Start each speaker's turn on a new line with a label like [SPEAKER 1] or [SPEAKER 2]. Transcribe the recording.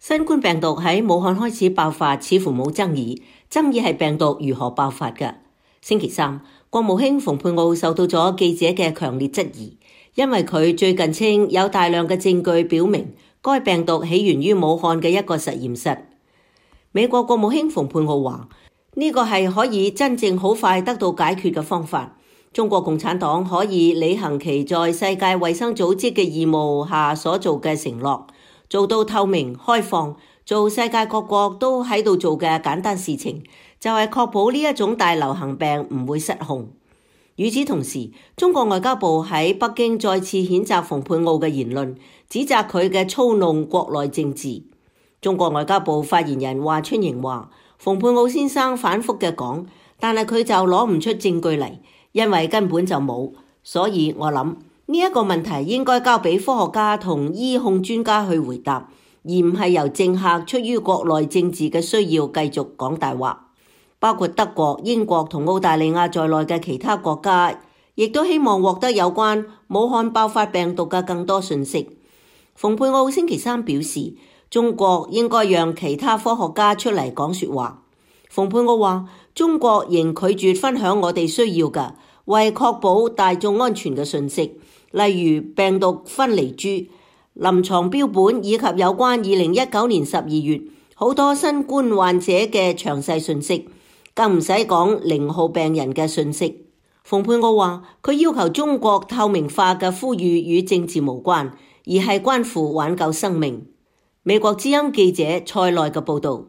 [SPEAKER 1] 新冠病毒喺武漢開始爆發，似乎冇爭議。爭議係病毒如何爆發嘅。星期三，國務卿蓬佩奧受到咗記者嘅強烈質疑，因為佢最近稱有大量嘅證據表明該病毒起源於武漢嘅一個實驗室。美國國務卿蓬佩奧話：呢個係可以真正好快得到解決嘅方法。中國共產黨可以履行其在世界衛生組織嘅義務下所做嘅承諾，做到透明開放，做世界各國都喺度做嘅簡單事情，就係確保呢一種大流行病唔會失控。與此同時，中國外交部喺北京再次譴責蓬佩奧嘅言論，指責佢嘅操弄國內政治。中國外交部發言人華春瑩話：蓬佩奧先生反覆嘅講，但係佢就攞唔出證據嚟，因為根本就冇。所以我諗呢一個問題應該交俾科學家同醫控專家去回答，而唔係由政客出於國內政治嘅需要繼續講大話。包括德國、英國同澳大利亞在內嘅其他國家，亦都希望獲得有關武漢爆發病毒嘅更多信息。蓬佩奧星期三表示，中國應該讓其他科學家出嚟講說話。蓬佩奧話：中國仍拒絕分享我哋需要嘅為確保大眾安全嘅信息，例如病毒分離株、臨床標本以及有關2019年12月好多新冠患者嘅詳細信息，更唔使講0號病人嘅信息。蓬佩奧話：佢要求中國透明化嘅呼籲與政治無關，而係關乎挽救生命。美國之音記者蔡內嘅報導。